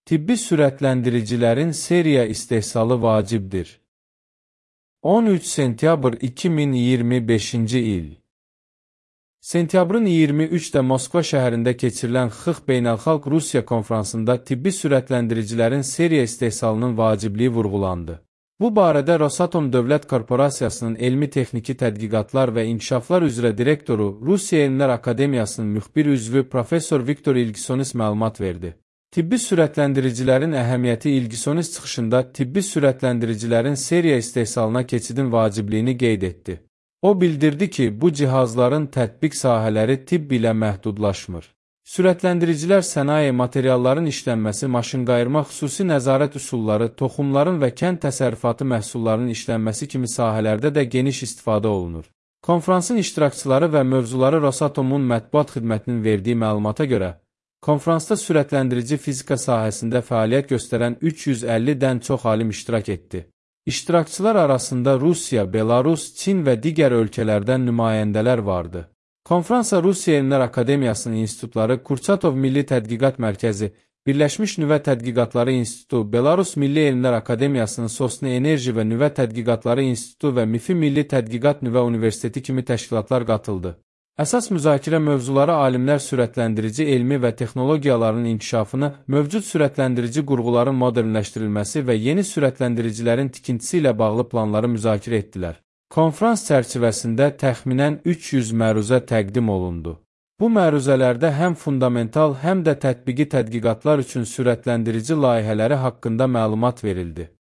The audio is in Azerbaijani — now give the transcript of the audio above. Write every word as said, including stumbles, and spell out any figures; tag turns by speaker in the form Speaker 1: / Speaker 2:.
Speaker 1: Tibbi sürətləndiricilərin seriya istehsalı vacibdir. on üç sentyabr iki min iyirmi beşinci il. Sentyabrın iyirmi üçdə Moskva şəhərində keçirilən X X Beynəlxalq Rusiya konfransında tibbi sürətləndiricilərin seriya istehsalının vacibliyi vurğulandı. Bu barədə Rosatom Dövlət Korporasiyasının Elmi-Texniki Tədqiqatlar və İnkişaflar üzrə direktoru, Rusiya Elmlər Akademiyasının müxbir üzvü Professor Viktor İlgisonis məlumat verdi. Tibbi sürətləndiricilərin əhəmiyyəti İlgisonis çıxışında tibbi sürətləndiricilərin seriya istehsalına keçidin vacibliyini qeyd etdi. O bildirdi ki, bu cihazların tətbiq sahələri tibb ilə məhdudlaşmır. Sürətləndiricilər sənaye, materialların işlənməsi, maşınqayırma, xüsusi nəzarət üsulları, toxumların və kənd təsərrüfatı məhsullarının işlənməsi kimi sahələrdə də geniş istifadə olunur. Konfransın iştirakçıları və mövzuları Rosatomun mətbuat xidmətinin verdiyi məlumata görə, konfransda sürətləndirici fizika sahəsində fəaliyyət göstərən üç yüz əllidən çox alim iştirak etdi. İştirakçılar arasında Rusiya, Belarus, Çin və digər ölkələrdən nümayəndələr vardı. Konfransa Rusiya Elmlər Akademiyasının institutları, Kurçatov Milli Tədqiqat Mərkəzi, Birləşmiş Nüvə Tədqiqatları İnstitutu, Belarus Milli Elmlər Akademiyasının Sosni Enerji və Nüvə Tədqiqatları İnstitutu və MİFİ Milli Tədqiqat Nüvə Universiteti kimi təşkilatlar qatıldı. Əsas müzakirə mövzuları alimlər sürətləndirici elmi və texnologiyaların inkişafını, mövcud sürətləndirici qurğuların modernləşdirilməsi və yeni sürətləndiricilərin tikintisi ilə bağlı planları müzakirə etdilər. Konfrans çərçivəsində təxminən üç yüz məruzə təqdim olundu. Bu məruzələrdə həm fundamental, həm də tətbiqi tədqiqatlar üçün sürətləndirici layihələri haqqında məlumat verildi.